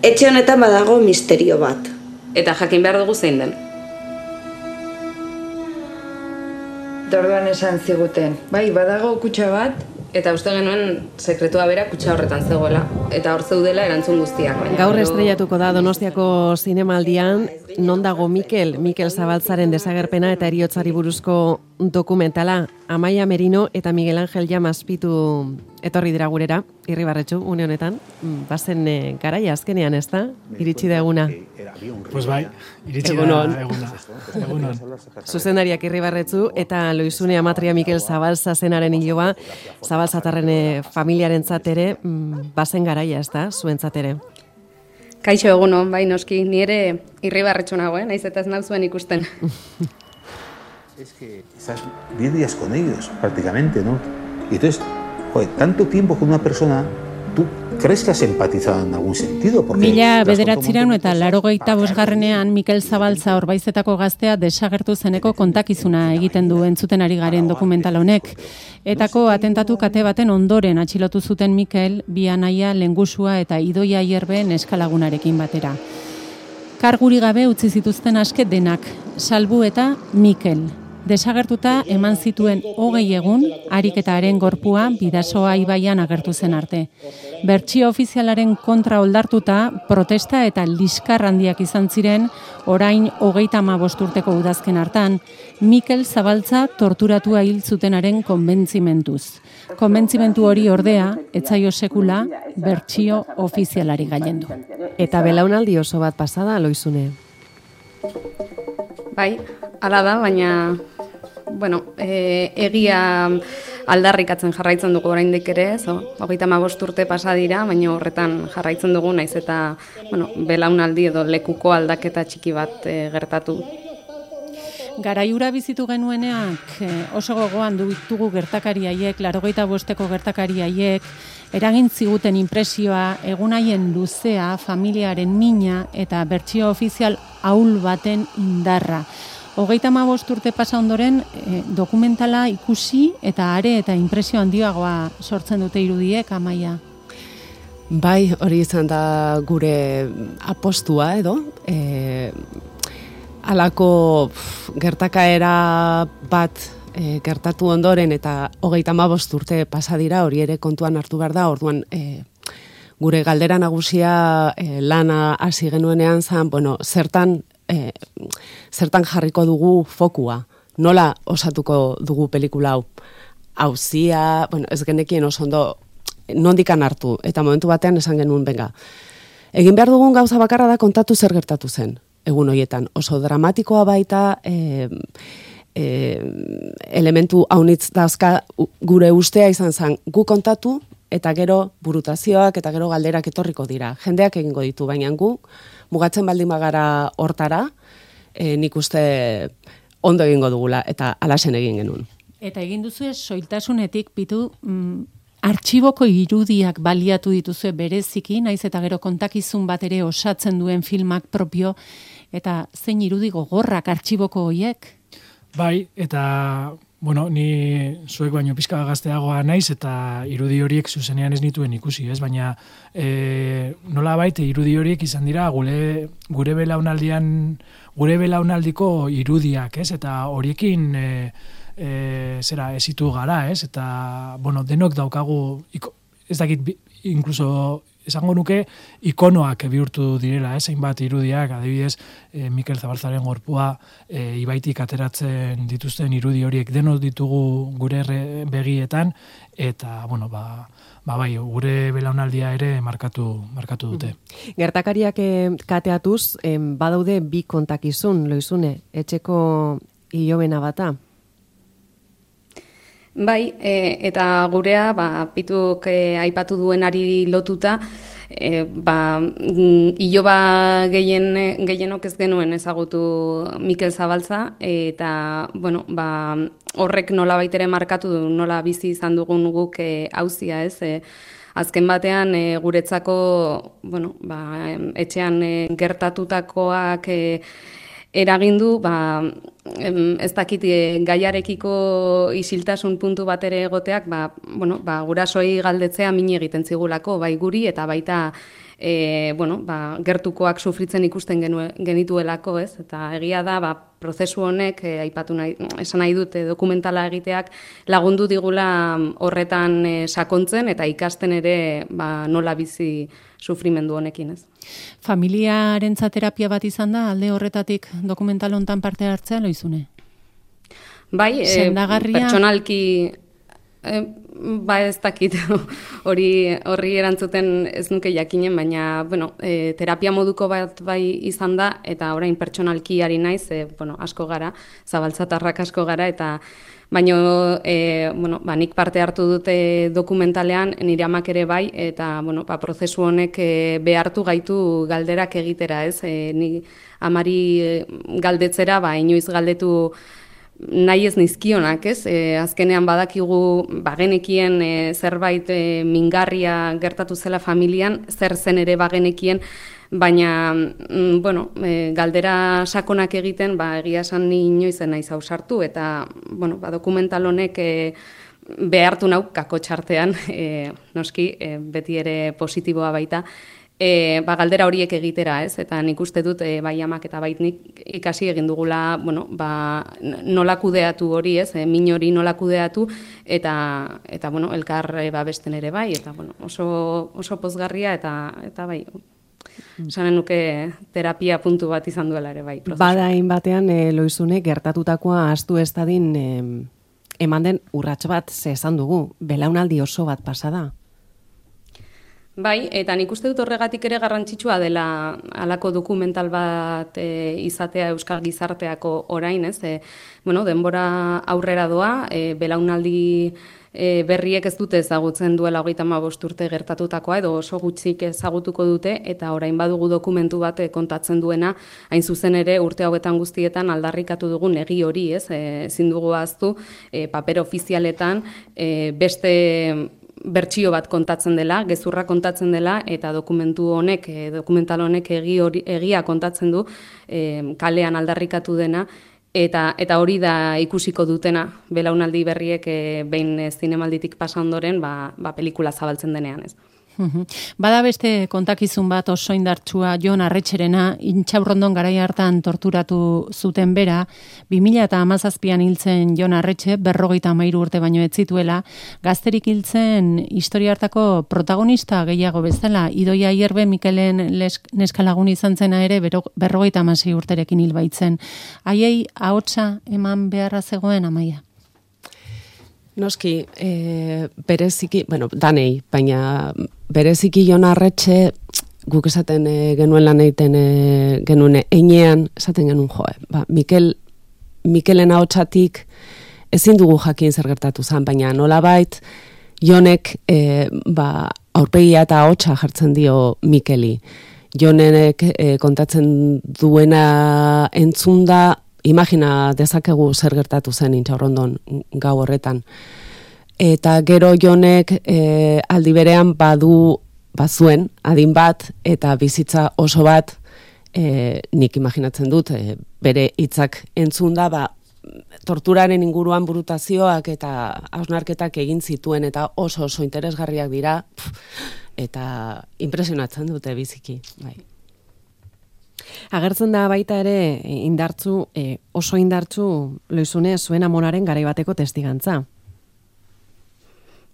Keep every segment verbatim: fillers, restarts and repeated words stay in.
etxe honetan badago misterio bat. Eta jakin behar dugu zein den. Dorduan esan ziguten, bai, badago kutxa bat, eta uste genuen sekretua bera kutxa horretan zegoela, eta hor zeudela erantzun guztiak. Gaur estrellatuko da Donostiako zinemaldian, non dago Mikel, Mikel Zabaltzaren desagerpena eta heriotzari buruzko dokumentala. Amaia Merino eta Miguel Ángel Llamaspitu etorri dira gurera, Irribarretxu, une honetan. Bazen e, garaia azkenean, ez da? Iritsi da eguna. Pues bai, iritsi da eguna. Egunon. Zuzendariak Irribarretxu eta Loizune Amatria Mikel Zabaltza zenaren hiloba, Zabaltzatarren familiaren zatere, bazen garaia, ez da? Zuen zatere. Kaixo egunon, bai noski, ni ere Irribarretxu nagoen, naiz eta ez nauzuen ikusten. Es que estás diez días con ellos, prácticamente, ¿no? Y entonces, joder, tanto tiempo con una persona, ¿tú crees que has empatizado en algún sentido? Mila bederatzireun eta laurogeita bosgarrenean Mikel Zabaltza Orbaizetako gaztea desagertu zeneko kontakizuna egiten du entzuten ari garen dokumental honek. Etako atentatu kate baten ondoren atxilotu zuten Mikel, bi anaia, lengusua eta idoia hierbe neskalagunarekin batera. Karguri gabe utzi zituzten aske denak, salbu eta Mikel. Desagertuta eman zituen hogei egun, harik eta haren gorpua Bidasoa ibaian agertu zen arte. Bertsio ofizialaren kontra oldartuta, protesta eta liskar handiak izan ziren, orain hogeita hamabost urteko udazken hartan, Mikel Zabaltza torturatua hil zutenaren konbentzimentuz. Konbentzimentu hori ordea, etzaio sekula, bertsio ofizialari gailendu. Eta belaunaldi oso bat pasada, Loizune? Bai, hala da, baina bueno, e, egia aldarrikatzen jarraitzen dugu oraindik ere, zo, hogeita hamabost urte pasa dira, baina horretan jarraitzen dugu, naiz eta bueno, belaunaldi edo lekuko aldaketa txiki bat e, gertatu. Garaiura bizitu genueneak oso gogoan ditugu gertakari haiek, laurogeita bosteko gertakari haiek, eragin ziguten inpresioa, egunaien luzea, familiaren mina eta bertsio ofizial ahul baten indarra. Hogeita hamabost urte pasa ondoren eh, dokumentala ikusi eta are eta inpresio handiagoa sortzen dute irudiek, Amaia. Bai, hori izan da gure apostua edo, e, alako pff, gertakaera bat e, gertatu ondoren eta hogeita hamabost urte pasa dira, hori ere kontuan hartu behar da, orduan e, gure galdera nagusia e, lana hasi genuenean zan, bueno, zertan E, zertan jarriko dugu fokua, nola osatuko dugu pelikula hau. Hauzia, bueno, ez genekien oso ondo nondikan hartu, eta momentu batean esan genuen, benga. Egin behar dugun gauza bakarra da kontatu zer gertatu zen, egun horietan. Oso dramatikoa baita, e, e, elementu haunitz dauzka gure ustea izan zen, gu kontatu, eta gero burutazioak, eta gero galderak etorriko dira. Jendeak egingo ditu, baina gu, mugatzen baldin bagara hortara, e, nik uste ondo egingo dugula, eta alasen egin genuen. Eta egin duzu soiltasunetik, pitu, mm, artxiboko irudiak baliatu dituzue bereziki, naiz eta gero kontakizun bat ere osatzen duen filmak propio, eta zein irudi gogorrak artxiboko hoiek? Bai, eta bueno, ni zuek baino pizka gazteagoa naiz eta irudi horiek zuzenean ez nituen ikusi, ez? Baina e, nola baita irudi horiek izan dira gure, gure belaunaldian, gure belaunaldiko irudiak, ez? Eta horiekin e, e, zera esitu gara, ez? Eta bueno, denok daukagu, ez dakit, inkluso esango nuke ikonoak bihurtu direla, ez, hainbat irudiak, adibidez, e, Mikel Zabaltzaren gorpua e, ibaitik ateratzen dituzten irudi horiek denok ditugu gure begietan, eta, bueno, ba, ba bai, gure belaunaldia ere markatu, markatu dute. Gertakariak kateatuz, em, badaude bi kontakizun, Loizune, etxeko hilobena bata? Bai, e, eta gurea, ba, pituk e, aipatu duenari lotuta, e, ba, iloba gehien, gehienok ez genuen ezagutu Mikel Zabaltza, eta, bueno, ba, horrek nola baitere markatu du, nola bizi izan dugun guk e, hauzia, ez, e, azken batean e, guretzako, bueno, ba, etxean e, gertatutakoak e, eragindu, ba, ez dakit gaiarekiko isiltasun puntu bat ere egoteak, ba, bueno, ba, gurasoi galdetzea min egiten zigulako, bai guri eta baita E, bueno, ba, gertukoak sufritzen ikusten genue, genituelako, ez? Eta egia da, ba, prozesu honek, e, aipatu nahi, esan nahi dut, e, dokumentala egiteak lagundu digula horretan e, sakontzen eta ikasten ere ba, nola bizi sufrimendu honekin, ez? Familiarentzat terapia bat izan da, alde horretatik dokumental hontan parte hartzea, Loizune? Bai, e, pertsonalki... E, ba ez dakit hori horri erantzuten ez nuke jakinen, baina bueno, e, terapia moduko bat bai izan da, eta orain pertsonalki ari naiz, e, bueno, asko gara, zabaltzatarrak asko gara, eta baina e, bueno, ba, nik parte hartu dute dokumentalean, nire amak ere bai, eta bueno, ba, prozesu honek e, behartu gaitu galderak egitera, ez? E, ni amari galdetzera, ba, inoiz galdetu nahi ez nizkionak, ez? E, azkenean badakigu bagenekien e, zerbait e, mingarria gertatu zela familian, zer zen ere bagenekien, baina mm, bueno, e, galdera sakonak egiten, ba, egia esan ni inoizen naiz ausartu, eta bueno, ba, dokumental honek e, behartu nau kakotxartean, e, noski, e, beti ere positiboa baita, E, ba, galdera horiek egitera, ez? Eta nik uste dut e, bai amak eta bait nik ikasi egin dugula, bueno, ba, nola kudeatu hori, ez? E, min hori nola kudeatu, eta, eta bueno, elkar e, babesten ere bai, eta bueno, oso, oso pozgarria, eta, eta bai, esanen nuke terapia puntu bat izan duela ere bai. Prozesu. Bada batean e, Loizune, gertatutakoa ahaztu ez dadin e, eman den urrats bat ze esan dugu, belaunaldi oso bat pasada. Bai, eta nik uste dut horregatik ere garrantzitsua dela halako dokumental bat e, izatea euskal gizarteako orain, ez? E, bueno, denbora aurrera doa, e, belaunaldi e, berriek ez dute ezagutzen duela hogeita hamabost urte gertatutakoa, edo oso gutxik ezagutuko dute, eta orain badugu dokumentu bat e, kontatzen duena, hain zuzen ere urte hauetan guztietan aldarrikatu dugun egi hori, ez? E, ezin dugu ahaztu, e, paper ofizialetan e, beste bertsio bat kontatzen dela, gezurra kontatzen dela, eta dokumentu honek, e, dokumental honek egi hori, egia kontatzen du, e, kalean aldarrikatu dena, eta eta hori da ikusiko dutena, belaunaldi berriek e, behin e, zinemalditik pasa ondoren, ba, ba pelikula zabaltzen denean, ez. Bada beste kontakizun bat oso indartsua Jon Arretxerena, Intxaurrondon garai hartan torturatu zuten bera, bi mila hamazazpian hiltzen Jon Arretxe, berrogeita hamairu urte baino ez zituela, gazterik hiltzen historia hartako protagonista gehiago bezala, Idoia Ierbe Mikelen neskalagun izan zena ere berrogeita hamasei urterekin hil baitzen. Haiei ahotsa eman beharra zegoen, Amaia? Noski, e, bereziki, bueno, danei, baina bereziki Jon Arretxe, guk esaten e, genuen lan egiten e, genuen einean, esaten genuen joe, ba, Mikel, Mikelen ahotsatik ezin dugu jakin zer gertatu zen, baina nolabait Jonek e, ba, aurpegia eta ahotsa jartzen dio Mikeli. Jonek e, kontatzen duena entzunda, imagina dezakegu zer gertatu zen Intxaurrondon gau horretan. Eta gero Jonek e, aldi berean badu bazuen adin bat eta bizitza oso bat e, nik imaginatzen dut e, bere hitzak entzunda ba, torturaren inguruan burutazioak eta hausnarketak egin zituen eta oso oso interesgarriak dira pff, eta impresionatzen dute biziki. Bai. Agertzen da baita ere indartzu, e, oso indartzu Loizune zuen amonaren garai bateko testigantza.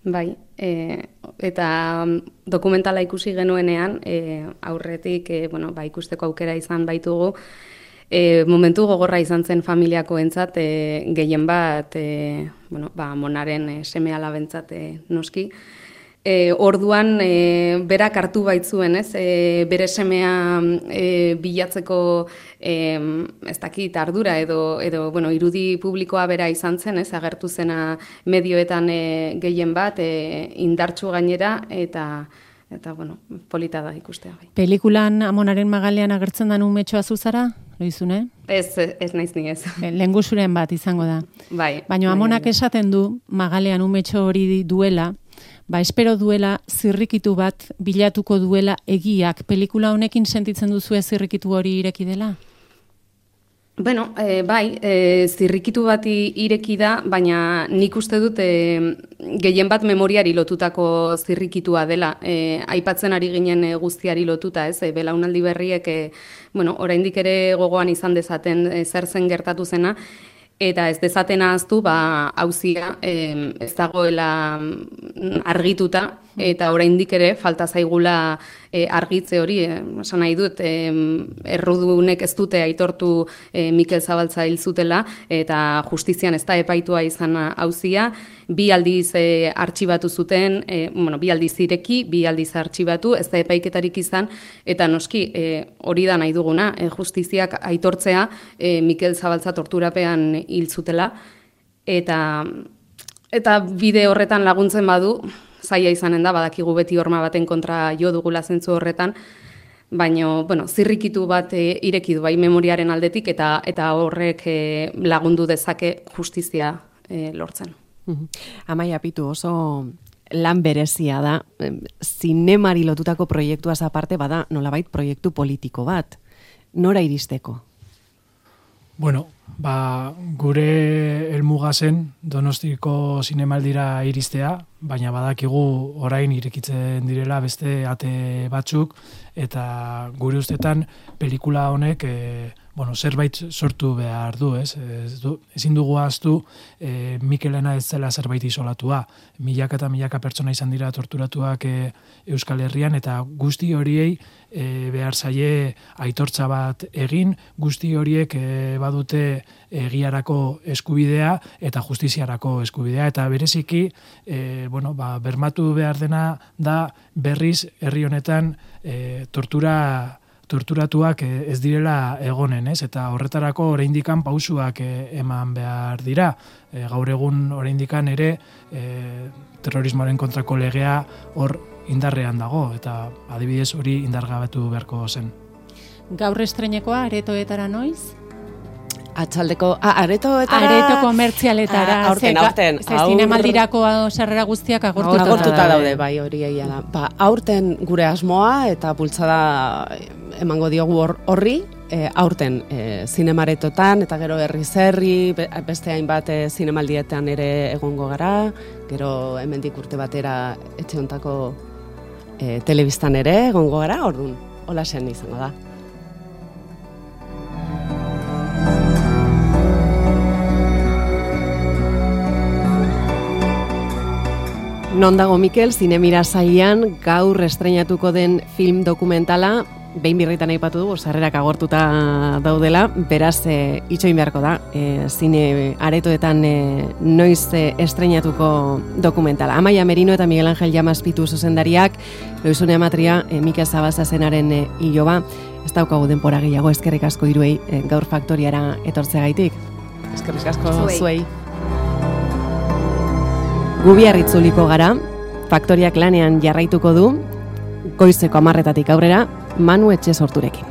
Bai, e, eta dokumentala ikusi genuenean, e, aurretik e, bueno, ba, ikusteko aukera izan baitugu, e, momentu gogorra izan zen familiakoentzat, e, gehien bat, e, bueno, ba, amonaren e, seme alabentzat e, noski, E, orduan e, berak hartu baitzuen, ez? E, bere semea e, bilatzeko e, ez dakit ardura edo, edo bueno, irudi publikoa bera izan zen, ez? Agertu zena medioetan e, gehien bat, e, indartsu gainera, eta eta bueno, polita da ikustea. Bai. Pelikulan Amonaren magalean agertzen da umetxoa zuzara, Loizune? Ez, ez naiz ni ez. Lengusuren bat izango da. Bai. Baina Amonak esaten du magalean umetxo hori duela, ba, espero duela zirrikitu bat bilatuko duela egiak. Pelikula honekin sentitzen duzu zirrikitu hori ireki dela? Bueno, e, bai, e, zirrikitu bati ireki da, baina nik uste dut e, gehien bat memoriari lotutako zirrikitua dela. E, aipatzen ari ginen e, guztiari lotuta, ez? E, belaunaldi berriek, e, bueno, oraindik ere gogoan izan dezaten e, zer zen gertatu zena, eta ez dezaten ahaztu, ba, auzia e, ez dagoela argituta, eta oraindik ere falta zaigula e, argitze hori, esan nahi dut, e, errudunek ez dute aitortu e, Mikel Zabaltza hil zutela, eta justizian ez da epaitua izan auzia, bi aldiz e, artxibatu zuten, e, bueno, bi aldiz ireki, bi aldiz artxibatu, ez da epaiketarik izan, eta noski e, hori da nahi duguna, e, justiziak aitortzea e, Mikel Zabaltza torturapean hil zutela, eta, eta bide horretan laguntzen badu, zaila izanen da, badakigu beti horma baten kontra jo dugula zentzu horretan, baina, bueno, zirrikitu bat e, ireki du bai memoriaren aldetik, eta eta horrek e, lagundu dezake justizia e, lortzen. Amaia Pitu, oso lan berezia da, zinemari lotutako proiektuaz aparte bada nolabait proiektu politiko bat. Nora iristeko? Bueno, ba, gure helmuga zen Donostiko zinemaldira iristea, baina badakigu orain irekitzen direla beste ate batzuk, eta gure ustetan pelikula honek e, bueno, zerbait sortu behar du, ez? Ez du, ezin dugu ahaztu e, Mikelena ez zela zerbait isolatua. Milaka eta milaka pertsona izan dira torturatuak e, Euskal Herrian, eta guzti horiei e, behar zaie aitortza bat egin, guzti horiek e, badute egiarako eskubidea eta justiziarako eskubidea, eta bereziki e, bueno, ba, bermatu behar dena da berriz herri honetan e, tortura torturatuak ez direla egonen, ez? Eta horretarako oraindikan pausuak eman behar dira. E, gaur egun oraindikan ere e, terrorismoaren kontrako legea hor indarrean dago, eta adibidez hori indargabetu beharko zen. Gaur estreinekoa aretoetara noiz? Atxaldeko, ah, aretoetara... Areto komertzialetara. Ah, aurten, aurten. Ze zinemaldirako sarrera guztiak agortuta, agortuta daude, bai, hori egia da. Ba, aurten gure asmoa eta bultzada emango diogu horri, e, aurten e, zinemaretotan, eta gero herri zerri, beste hainbat e, zinemaldietan ere egongo gara, gero hemendik urte batera etxe hontako e, telebistan ere egongo gara, orduan, hola zen izango da. Non dago Mikel, zinemira sailean gaur estreinatuko den film dokumentala, behin birritan aipatu dugu, sarrerak agortuta daudela, beraz e, itxoin beharko da, e, zine aretoetan e, noiz e, estreinatuko dokumentala. Amaia Merino eta Miguel Angel Llamas-Pitu zuzendariak, Loizune Amatria, e, Mikel Zabaltza zenaren e, iloba, ez daukagu denpora gehiago, eskerrik asko hiruei e, gaur faktoriara etortzeagaitik. Eskerrik asko zuei. Gubiarritzuliko gara, faktoriak lanean jarraituko du, goizeko hamarretatik aurrera, Manu Etxe Sorturekin.